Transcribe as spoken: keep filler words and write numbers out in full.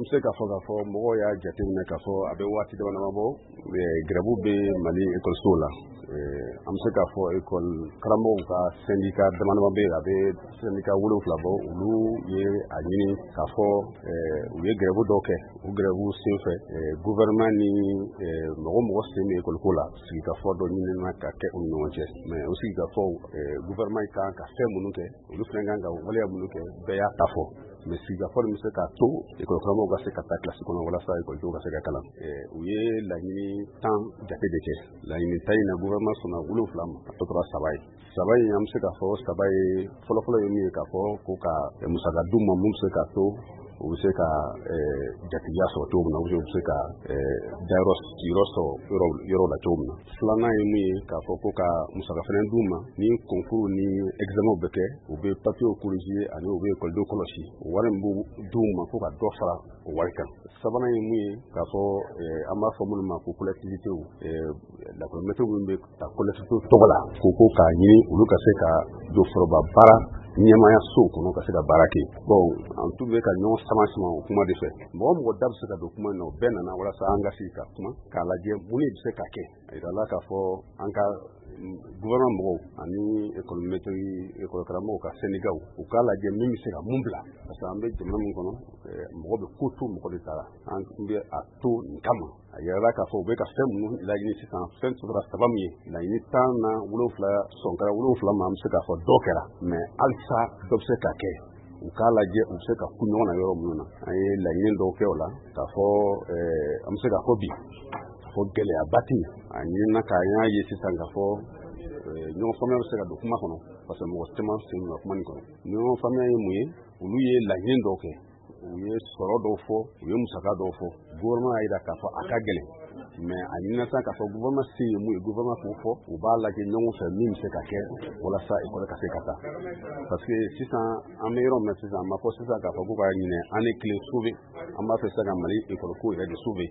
An bɛ se k'a fɔ k'a fɔ mɔgɔw y'a jateminɛ k'a fɔ a bɛ waati dama dama bɔ, grève bɛ Mali ekɔlisow la. An bɛ se k'a fɔ ekɔli karamɔgɔw ka syndicat dama dama bɛ yen, a bɛ syndicat wolonwula bɔ. Olu ye a ɲini k'a fɔ u ye grève dɔw kɛ. O grève senfɛ, gouvernement ni mɔgɔ mɔgɔ sen bɛ ekɔliko la, sigikafɔ dɔ ɲinina ka kɛ u ni ɲɔgɔn cɛ. Mais o sigikafɔw, gouvernement kan ka fɛn minnu kɛ, olu fana kan ka waleya minnu kɛ, bɛɛ y'a ta fɔ. Mais sigikafɔ nin bɛ se k'a to ekɔli karamɔgɔw ka se ka taa kilasi kɔnɔ walasa ekɔlidenw ka se ka kalan. U ye laɲini tan jate de kɛ. Laɲini tan in na, gouvernement sɔnna wolonwula ma, a tɔ tora saba ye. Saba in, an bɛ se k'a fɔ saba ye fɔlɔfɔlɔ ye min ye, k'a fɔ ko ka musaka d'u ma mun bɛ se k'a to u bɛ se ka jatigiya sɔrɔ cogo min na, u bɛ se ka dayɔrɔ sigiyɔrɔ sɔrɔ yɔrɔ la cogo min na. Filanan ye mun ye, k'a fɔ ko ka musaka fana d'u ma ni concours ni examen bɛ kɛ, u bɛ papiers corriger ani u bɛ ekɔlidenw kɔlɔsi, o wari min b'u d'u ma, ko ka dɔ fara o wari kan. Sabanan ye mun ye, k'a fɔ an b'a fɔ minnu ma ko collectivités, lakɔlimɛtiriw minnu bɛ ta collectivités tɔgɔ la, ko ko k'a ɲini olu ka se ka don foroba baara ɲɛmaaya sow kɔnɔ ka se ka baara kɛ. Bon, an tun bɛ ka ɲɔgɔn sama sama o kuma de fɛ. Mɔgɔ mɔgɔ da bɛ se ka don kuma in na, o bɛɛ nana walasa an ka sigi ka kuma k'a lajɛ mun de bɛ se ka kɛ. A yirala k'a fɔ an ka gouvernement mɔgɔw ani école maître, école karamɔgɔw ka syndicats, u k'a lajɛ min bɛ se ka mun bila, parce que an bɛ jamana min kɔnɔ, mɔgɔ bɛ ko to mɔgɔ de ta la, an bɛ a to nin kama. A yirala k'a fɔ u bɛ ka fɛn minnu laɲini sisan, fɛn tora saba min ye, laɲini tan na, wolonwula sɔn kɛra wolonwula ma. An bɛ se k'a fɔ dɔ kɛra, mais halisa dɔ bɛ se ka kɛ. U k'a lajɛ u bɛ se ka ku ɲɔgɔn na yɔrɔ minnu na. An ye laɲini dɔw kɛ o la, k'a fɔ an bɛ se k'a fɔ bi fɔ gɛlɛyaba tɛ yen. A ɲinina k'a y'a ye sisan k'a fɔ ɲɔgɔn faamuya bɛ se ka don kuma kɔnɔ, parce que mɔgɔ caman sen donna kuma nin kɔnɔ. Ɲɔgɔn faamuya ye mun ye? Olu ye laɲini dɔw kɛ, u ye sɔrɔ dɔw fɔ, u ye musaka dɔw fɔ. Gouvernement y'a jira k'a fɔ a ka gɛlɛn, mais a ɲinina sisan k'a fɔ gouvernement se ye mun ye, gouvernement k'o fɔ, u b'a lajɛ ɲɔgɔn fɛ min bɛ se ka kɛ walasa ekɔli ka se ka taa. Parce que sisan an bɛ yɔrɔ min na sisan, a ma fɔ sisan k'a fɔ ko ka ɲinɛ année kelen sauver, an b'a fɛ sisan ka Mali ekɔli ko yɛrɛ de sauver.